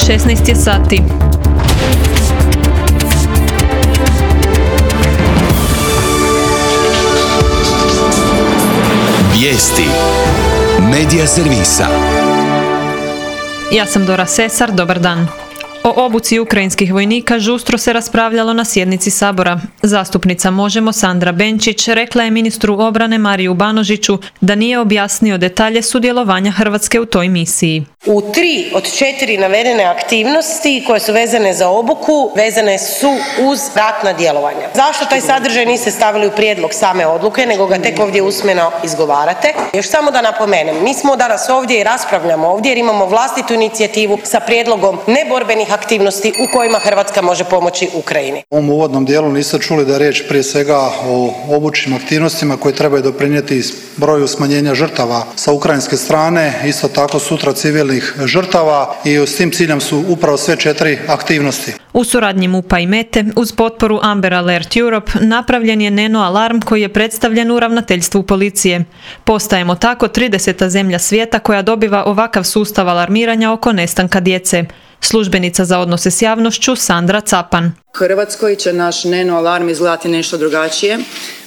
16 je sati. Vijesti Medija servisa. Ja sam Dora Sesar, dobar dan. O obuci ukrajinskih vojnika žustro se raspravljalo na sjednici Sabora. Zastupnica Možemo Sandra Benčić rekla je ministru obrane Mariju Banožiću da nije objasnio detalje sudjelovanja Hrvatske u toj misiji. U 3 od 4 navedene aktivnosti koje su vezane za obuku, vezane su uz ratna djelovanja. Zašto taj sadržaj niste stavili u prijedlog same odluke, nego ga tek ovdje usmeno izgovarate? Još samo da napomenem, mi smo danas ovdje i raspravljamo ovdje jer imamo vlastitu inicijativu sa prijedlogom neborbenih aktivnosti u kojima Hrvatska može pomoći Ukrajini. U ovom uvodnom dijelu niste čuli da je riječ prije svega o obučnim aktivnostima koje trebaju doprinijeti broju smanjenja žrtava sa ukrajinske strane, isto tako sutra civilnih žrtava i s tim ciljem su upravo sve 4 aktivnosti. U suradnji MUP-a i Mete uz potporu Amber Alert Europe napravljen je neno alarm koji je predstavljen u ravnateljstvu policije. Postajemo tako 30. zemlja svijeta koja dobiva ovakav sustav alarmiranja oko nestanka djece. Službenica za odnose s javnošću Sandra Capan. Hrvatskoj će naš neno alarm izgledati nešto drugačije,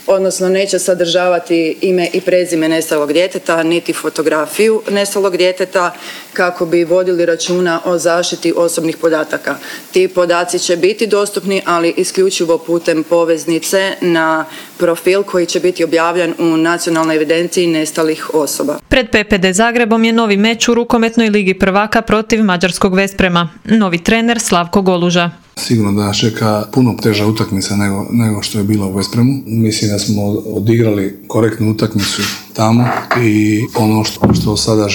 odnosno neće sadržavati ime i prezime nestalog djeteta, niti fotografiju nestalog djeteta kako bi vodili računa o zaštiti osobnih podataka. Ti podaci će biti dostupni, ali isključivo putem poveznice na profil koji će biti objavljen u nacionalnoj evidenciji nestalih osoba. Pred PPD Zagrebom je novi meč u rukometnoj ligi prvaka protiv mađarskog Vesprema. Novi trener Slavko Goluža. Sigurno da nas čeka puno teža utakmica nego što je bilo u Vespremu. Mislim da smo odigrali korektnu utakmicu tamo i ono što sada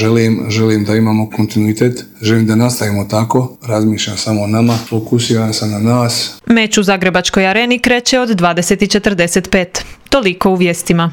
želim da imamo kontinuitet, želim da nastavimo tako, razmišljam samo o nama, fokusiram se na nas. Meč u Zagrebačkoj areni kreće od 20:45. Toliko u vijestima.